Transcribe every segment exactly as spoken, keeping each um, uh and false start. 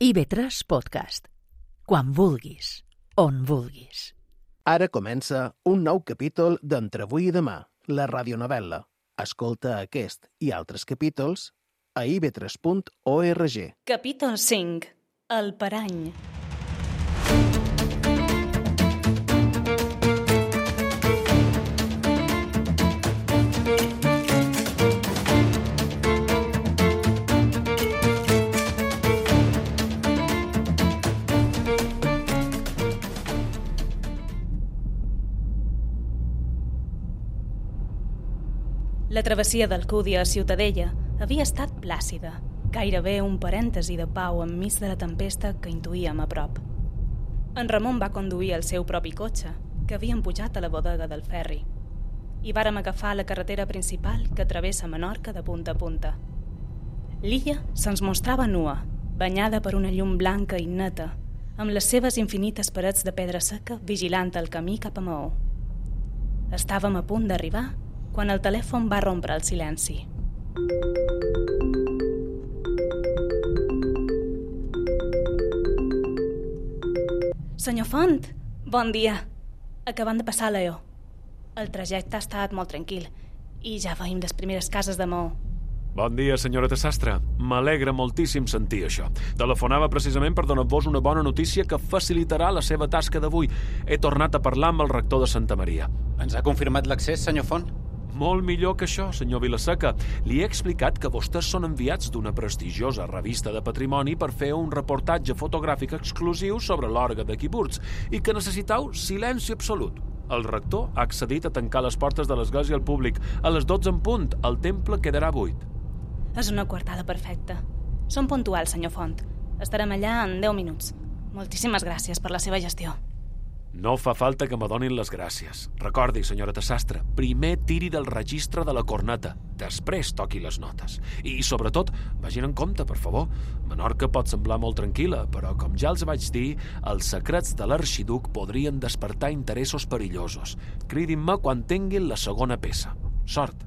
I ve tres Podcast. Quan vulguis, on vulguis. Ara comença un nou capítol d'Entre avui i demà, la radionovel·la. Escolta aquest i altres capítols a i ve tres punt org. Capítol cinc. El parany. La travessia d'Alcúdia a Ciutadella havia estat plàcida, gairebé un parèntesi de pau enmig de la tempesta que intuïem a prop. En Ramon va conduir el seu propi cotxe, que havien pujat a la bodega del ferri, i vàrem agafar la carretera principal que travessa Menorca de punta a punta. L'illa se'ns mostrava nua, banyada per una llum blanca i neta, amb les seves infinites parets de pedra seca vigilant el camí cap a Maó. Estàvem a punt d'arribar quan el telèfon va rompre el silenci. Senyor Font, bon dia. Acabant de passar a l'E O. El trajecte ha estat molt tranquil i ja veiem les primeres cases de Maó. Bon dia, senyoreta Sastre. M'alegra moltíssim sentir això. Telefonava precisament per donar-vos una bona notícia que facilitarà la seva tasca d'avui. He tornat a parlar amb el rector de Santa Maria. Ens ha confirmat l'accés, senyor Font? Molt millor que això, senyor Vilaseca. Li he explicat que vostès són enviats d'una prestigiosa revista de patrimoni per fer un reportatge fotogràfic exclusiu sobre l'orgue de Quiburts i que necessitau silenci absolut. El rector ha accedit a tancar les portes de l'església al públic. A les dotze en punt, el temple quedarà buit. És una coartada perfecta. Som puntuals, senyor Font. Estarem allà en deu minuts. Moltíssimes gràcies per la seva gestió. No fa falta que m'adonin les gràcies. Recordi, senyoreta Sastre, primer tiri del registre de la corneta, després toqui les notes. I, sobretot, vagin en compte, per favor. Menorca pot semblar molt tranquil·la, però, com ja els vaig dir, els secrets de l'arxiduc podrien despertar interessos perillosos. Cridin-me quan tinguin la segona peça. Sort.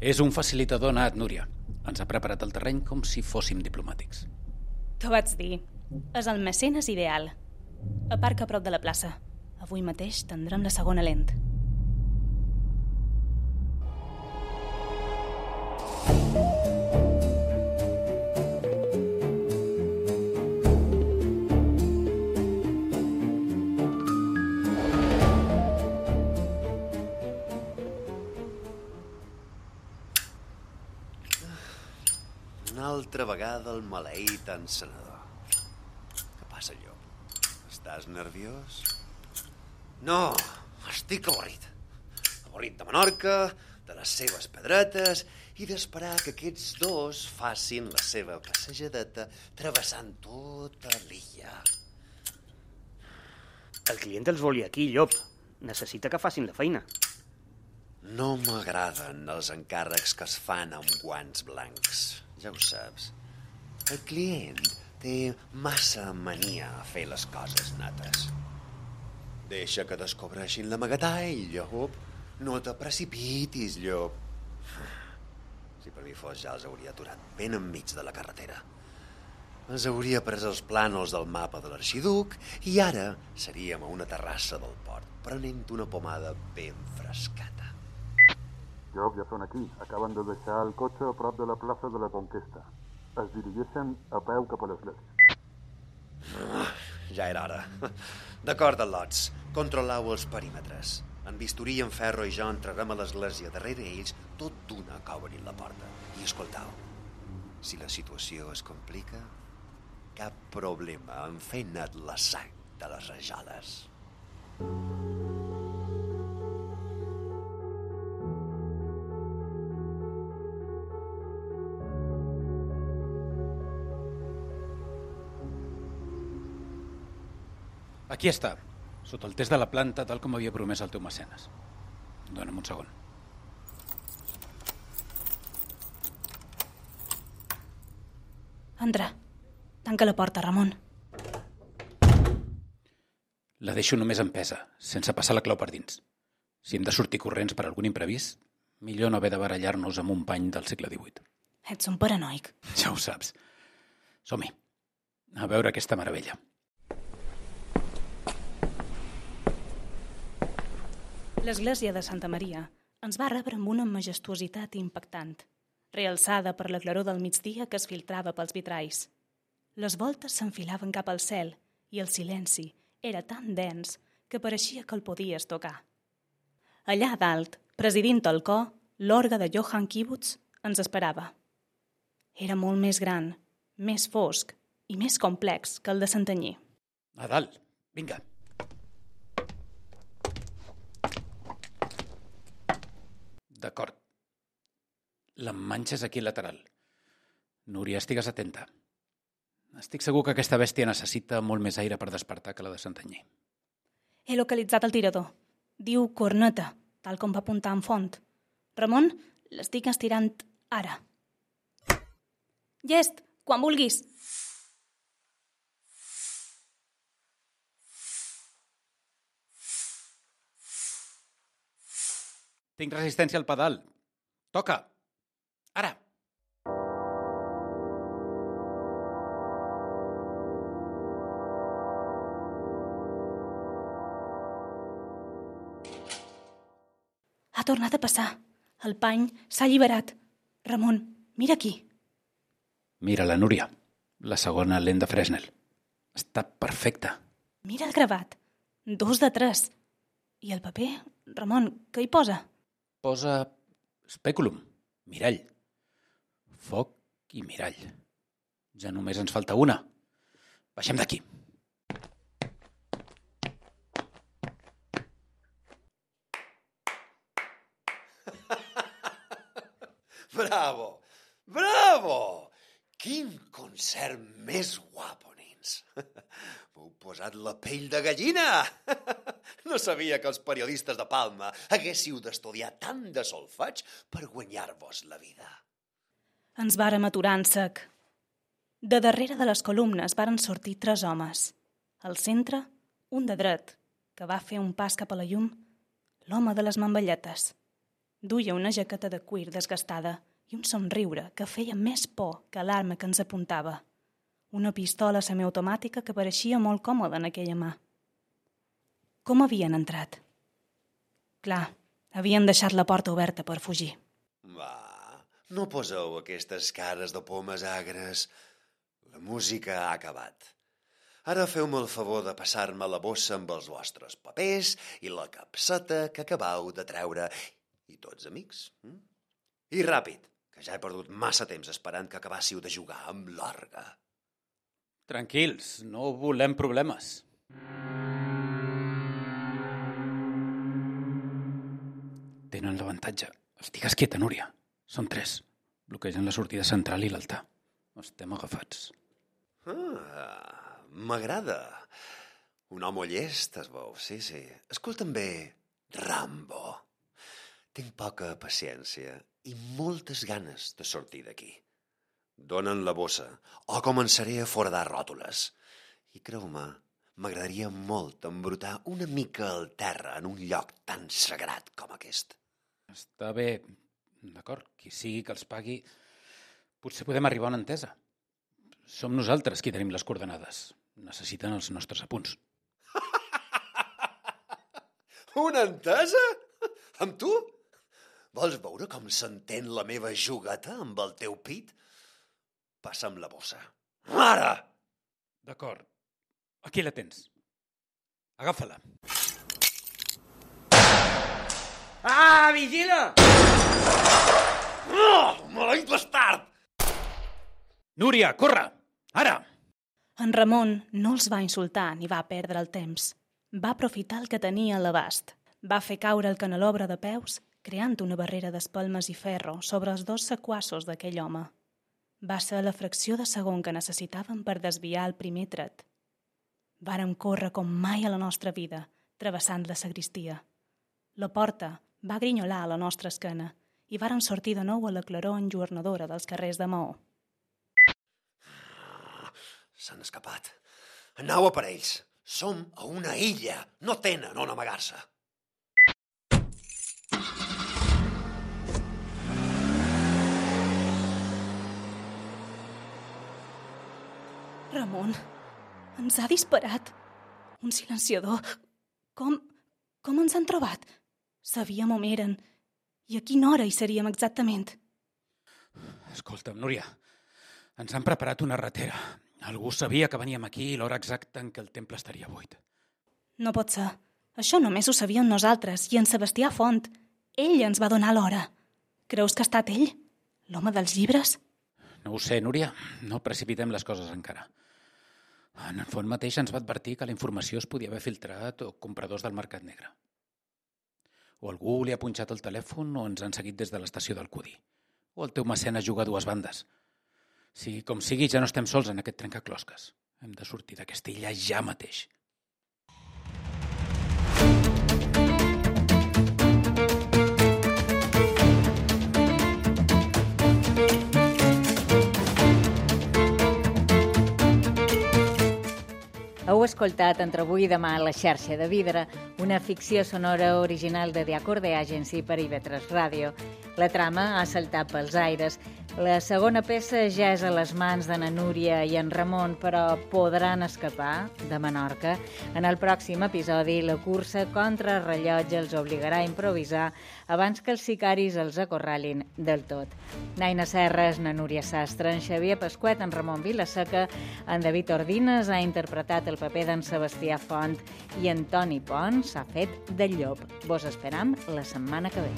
És un facilitador nat, Núria. Ens ha preparat el terreny com si fóssim diplomàtics. T'ho vaig dir. És el mecenes ideal. Aparca a prop de la plaça. Avui mateix tindrem la segona lent. Una altra vegada el maleït encenedor. Què passa, allò? Estàs nerviós? No, estic avorrit. Avorrit de Menorca, de les seves pedretes i d'esperar que aquests dos facin la seva passejadeta travessant tota l'illa. El client els volia aquí, Llop. Necessita que facin la feina. No m'agraden els encàrrecs que es fan amb guants blancs. Ja ho saps. El client té massa mania a fer les coses nates. Deixa que descobreixin l'amagatall, llop. No te precipitis, llop. Si per mi fos, ja els hauria aturat ben enmig de la carretera. Els hauria pres els plànols del mapa de l'arxiduc i ara seríem a una terrassa del port, prenent una pomada ben frescata. Llop, ja són aquí. Acaben de deixar el cotxe a prop de la plaça de la Conquesta. Es dirigeixen a peu cap a l'església. Ah, ja era hora. D'acord, al·lots. Controleu els perímetres. En Bisturí, en Ferro i jo entrarem a l'església darrere ells, tot d'una que obrin la porta. I escoltau, si la situació es complica, cap problema en fer net la sang de les rajoles. Aquí està, sota el test de la planta, tal com havia promès el teu mecenes. Dóna'm un segon. Entra. Tanca la porta, Ramon. La deixo només empesa, sense passar la clau per dins. Si hem de sortir corrents per algun imprevist, millor no haver de barallar-nos amb un pany del segle divuit. Ets un paranoic. Ja ho saps. Som-hi. A veure aquesta meravella. L'església de Santa Maria ens va rebre amb una majestuositat impactant, realçada per la claror del migdia que es filtrava pels vitralls. Les voltes s'enfilaven cap al cel i el silenci era tan dens que pareixia que el podies tocar. Allà a dalt, presidint el cor, l'orgue de Johann Kibbutz ens esperava. Era molt més gran, més fosc i més complex que el de Santanyí. A dalt, vinga. D'acord. L'emmanxa és aquí lateral. Núria, estigues atenta. Estic segur que aquesta bèstia necessita molt més aire per despertar que la de Santanyí. He localitzat el tirador. Diu corneta, tal com va apuntar en Font. Ramon, l'estic estirant ara. Llest, quan vulguis. Tinc resistència al pedal. Toca. Ara. Ha tornat a passar. El pany s'ha alliberat. Ramon, mira aquí. Mira la Núria, la segona lent de Fresnel. Està perfecta. Mira el gravat. Dos de tres. I el paper, Ramon, què hi posa? Posa spèculum, mirall. Foc i mirall. Ja només ens falta una. Baixem d'aquí. Bravo! Bravo! Quin concert més guapo, nens! M'heu posat la pell de gallina! No sabia que els periodistes de Palma haguéssiu d'estudiar tant de solfeig per guanyar-vos la vida. Ens vàrem aturar en sec. De darrere de les columnes varen sortir tres homes. Al centre, un de dret, que va fer un pas cap a la llum, l'home de les mamballetes. Duia una jaqueta de cuir desgastada i un somriure que feia més por que l'arma que ens apuntava. Una pistola semiautomàtica que pareixia molt còmoda en aquella mà. Com havien entrat? Clar, havien deixat la porta oberta per fugir. Va, no poseu aquestes cares de pomes agres. La música ha acabat. Ara feu-me el favor de passar-me la bossa amb els vostres papers i la capseta que acabau de treure. I tots amics. Hm? I ràpid, que ja he perdut massa temps esperant que acabàssiu de jugar amb l'orgue. Tranquils, no volem problemes. Tenen l'avantatge. Estigues quieta, Núria. Són tres. Bloquegen la sortida central i l'altar. Estem agafats. Ah, m'agrada. Un home llest, es veu. Sí, sí. Escolta'm bé, Rambo. Tinc poca paciència i moltes ganes de sortir d'aquí. Donen la bossa o començaré a foradar ròtules. I creu-me, m'agradaria molt embrutar una mica al terra en un lloc tan sagrat com aquest. Està bé. D'acord, qui sigui que els pagui, potser podem arribar a una entesa. Som nosaltres qui tenim les coordenades. Necessiten els nostres apunts. Una entesa? Amb tu? Vols veure com s'entén la meva jugueta amb el teu pit? Passa'm la bossa. Ara! D'acord. Aquí la tens. Agafa-la. Ah, vigila! Oh, maleït bastard! Núria, corre! Ara! En Ramon no els va insultar ni va perdre el temps. Va aprofitar el que tenia a l'abast. Va fer caure el canelobre de peus, creant una barrera d'espelmes i ferro sobre els dos sequassos d'aquell home. Va ser la fracció de segon que necessitàvem per desviar el primer tret. Vàrem córrer com mai a la nostra vida, travessant la sagristia. La porta va grinyolar a la nostra esquena i vàrem sortir de nou a la claror enjornadora dels carrers de Maó. S'han escapat. Anau a per ells. Som a una illa. No tenen on amagar-se. Ramon, ens ha disparat. Un silenciador. Com... com ens han trobat? Sabíem on eren. I a quina hora hi seríem exactament? Escolta'm, Núria, ens han preparat una ratera. Algú sabia que veníem aquí i l'hora exacta en què el temple estaria buit. No pot ser. Això només ho sabíem nosaltres i en Sebastià Font. Ell ens va donar l'hora. Creus que ha estat ell? L'home dels llibres? No ho sé, Núria. No precipitem les coses encara. En el Font mateix ens va advertir que la informació es podia haver filtrat o compradors del mercat negre. O algú li ha punxat el telèfon o ens han seguit des de l'estació d'Alcúdia. O el teu mecenes juga a dues bandes. Si, com sigui, ja no estem sols en aquest trencaclosques. Hem de sortir d'aquesta illa ja mateix. Heu escoltat Entre avui i demà a la xarxa de Vidre, una ficció sonora original de The Acorde Agency per I V tres Ràdio. La trama ha saltat pels aires. La segona peça ja és a les mans de na Núria i en Ramon, però podran escapar de Menorca. En el pròxim episodi, la cursa contra el rellotge els obligarà a improvisar abans que els sicaris els acorralin del tot. Naina Serres, na Núria Sastre, en Xavier Pasquet, en Ramon Vilaseca, en David Ordines ha interpretat el paper d'en Sebastià Font i en Toni Pons s'ha fet de llop. Vos esperam la setmana que ve.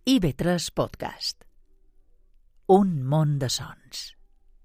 I V tres Podcast. Un món de sons.